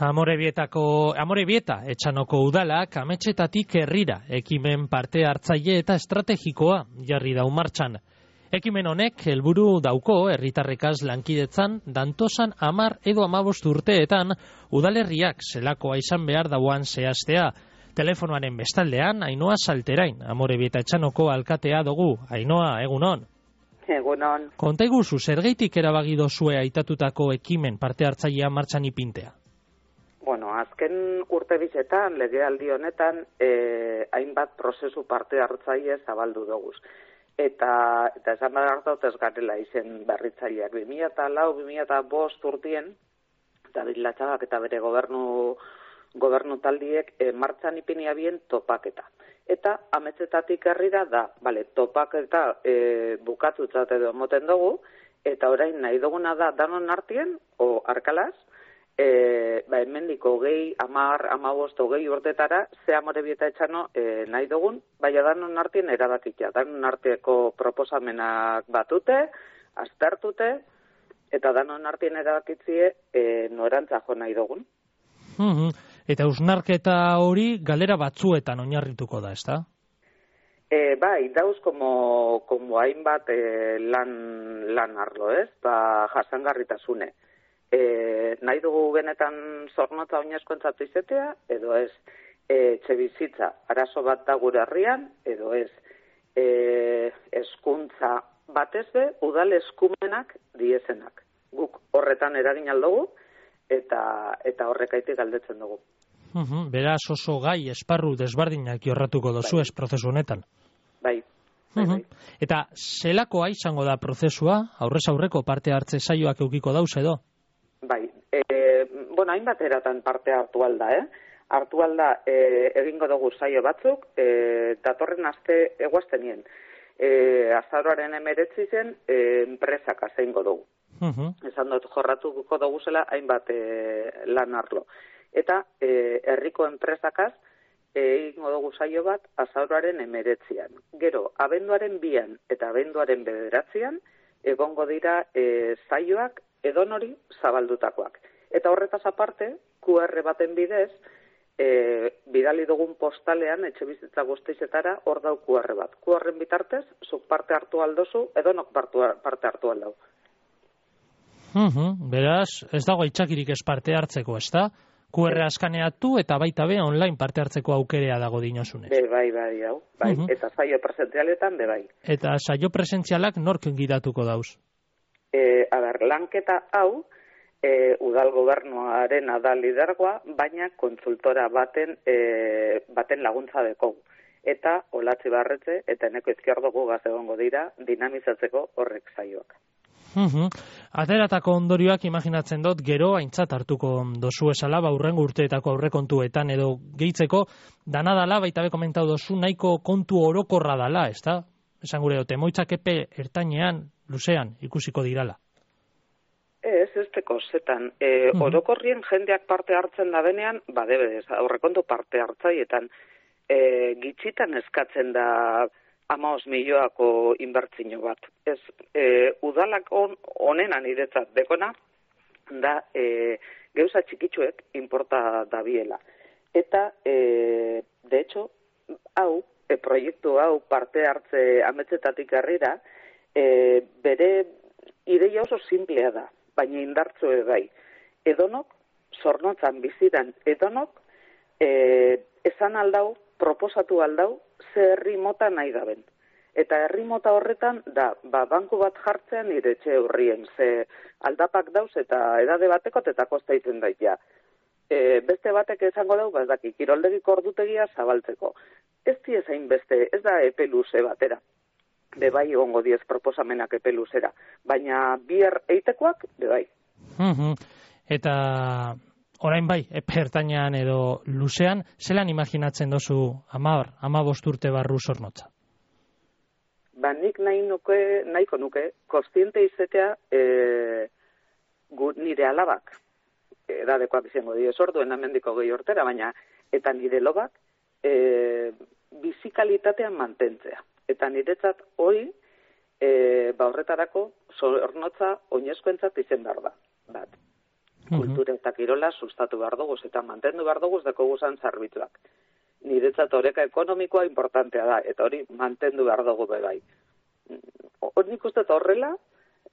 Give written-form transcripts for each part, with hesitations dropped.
Amorebieta Etxanoko udalak ametxetatik herrira ekimen parte hartzaile eta estrategikoa jarri dau martxan. Ekimen honek helburu dauko herritarrekaz lankidetzan dantosan 10 edo 15 urteetan udalerriak zelakoa izan behar dauan zehaztea. Telefonoaren bestaldean Ainhoa Salterain, Amorebieta Etxanoko alkatea dugu. Ainhoa, egunon. Egunon. Konta iguzu, zergaitik erabagido zue aitatutako ekimen parte hartzailea martxan ipintea? Bueno, azken urte bizetan, legealdi honetan, hainbat prozesu parte hartzaile zabaldu doguz. Eta esan behar dut ez garela izen berritzaileak. 2004-2005 urtien, David Latxagak eta bere gobernu taldiek martxan ipinia bien topaketa. Eta ametzetatik herrira da, topaketa bukatutzat edo moten dugu, eta orain nahi duguna da danon artien, o arkalaz, hemendik 20, 10, 15, 20 urtetara, ze Amorebieta Etxano nahi dugun, baina danon artien erabakitia. Danon arteko proposamenak batute, aztertute, eta danon artien erabakitzie norantza jo nahi dugun. Eta usnarketa hori galera batzuetan oinarrituko da, ezta? Bai, dauz como hainbat lan arlo, ez? Jasangarritasune. Nahi dugu benetan zornotza oinezkoentzat izatea, edo ez etxebizitza arazo bat da gure herrian, edo ez hezkuntza batez be, udal eskumenak diezenak. Guk horretan eragin aldugu, eta horrekaitik galdetzen dugu. Beraz oso gai esparru desbardinak jorratuko dozu ez prozesu honetan. Bai. Eta zelakoa izango da prozesua, aurrez aurreko parte hartze saioak eukiko dauz edo? Bai, hainbat eratan parte hartu alda, Hartu alda egingo dugu saio batzuk, datorren aste eguaztenien. Azaroaren 19 zen, enpresak azeingo dugu. Esan dut jorratuko dugu zela hainbat lan arlo. Eta herriko enpresakaz egingo dugu saio bat azaroaren 19an. Gero, abenduaren 2an eta abenduaren 9an egongo dira saioak edonori zabaldutakoak. Eta horretaz aparte, QR baten bidez, bidali dugun postalean etxebizitza guztizetara hor dau QR bat. QRren bitartez, zuk parte hartu aldozu, edonok parte hartu aldau. Beraz, ez dago aitzakirik ez parte hartzeko, ezta? QR askaneatu eta baita be online parte hartzeko aukerea dago dinozunez. Bai, hau. Bai. Eta saio presentzialetan, bai. Eta saio presentzialak nork gidatuko dauz? Lanketa hau, udal gobernuaren da lidergoa, baina kontsultora baten laguntza dekogu. Eta Olatzi Barretxe eta Eneko Izquierdogu gaz egongo dira dinamizatzeko horrek saioak. Ateratako ondorioak imaginatzen dut gero aintzat hartuko dozu esala, hurrengo urteetako aurrekontuetan edo gehitzeko dana dala, baita be komentau dozu, nahiko kontu orokorra dala, ezta? Esan gure dut, emoitzak epe ertainean, luzean, ikusiko dirala. Ez teko zetan. Orokorrien jendeak parte hartzen da benean, debedez, aurrekontu parte hartzaietan, gitxitan eskatzen da 15 milioako inbertzio bat. Ez, udalak honena niretzat dekona, da geuza txikitsuek inporta dabiela. Eta, de hecho, proiektu hau parte hartze ametzetatik herrira, bere ideia oso simplea da, baina indartzu bai. Edonok, zornotzan bizidan edonok, esan aldau, proposatu aldau, ze herri mota nahi daben. Eta herri mota horretan, banku bat jartzean nire etxe hurrien, ze aldapak dauz eta edade batekot eta kosta iten daitea. Beste batek esango dau, kiroldegik ordutegia zabaltzeko. Ez diezain beste, ez da epe luze batera. Bebai egongo diez proposamenak epe luzera. Baina bier eitekoak, bebai. Eta orain bai, epe ertainean edo luzean, zelan imaginatzen dozu 15 urte barru zornotza? Nik nahiko nuke, kostiente izatea nire alabak, edadekoak izango diez orduen amendiko gehi urtera, baina eta nire lobak bizikalitatean mantentzea. Eta niretzat hori, horretarako zornotza oinezkoentzat izen behar da. kultura eta kirola sustatu behar dugu, eta mantendu behar dugu deko guzan zerbitzuak. Niretzat oreka ekonomikoa importantea da, eta hori mantendu behar dugu bai. Hori nik uste horrela,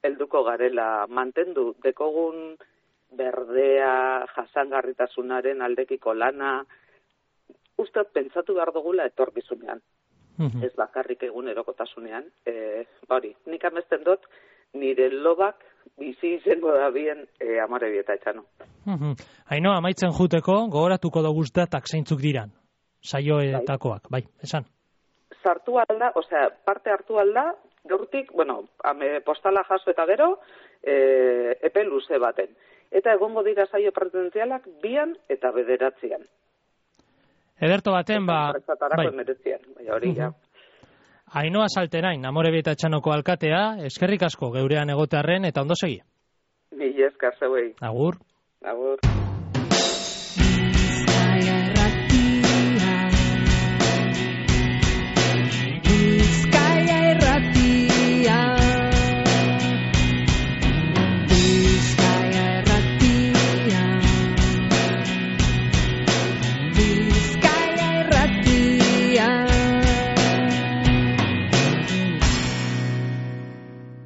helduko garela mantendu dekogun berdea, jasangarritasunaren aldekiko lana, uste pentsatu behar dugula etorkizunean. Ez bakarrik egunerokotasunean. Hori, nik amesten dut, nire lobak bizi izango da bien Amore Bieta Etxano. Haino, amaitzen juteko, gogoratuko dugu datak zeintzuk diran, saioetakoak, bai, esan. Sartu alda, parte hartu alda, gaurtik, postala jaso eta gero, epe luze baten. Eta egongo dira saio presentzialak 2 eta 9. Ederto baten, bai. Hori, ja. Ainhoa Salterain, Amore Bieta Etxanoko alkatea, eskerrik asko geurean egotearren eta ondo segi. Mila esker zeuei. Agur. Agur.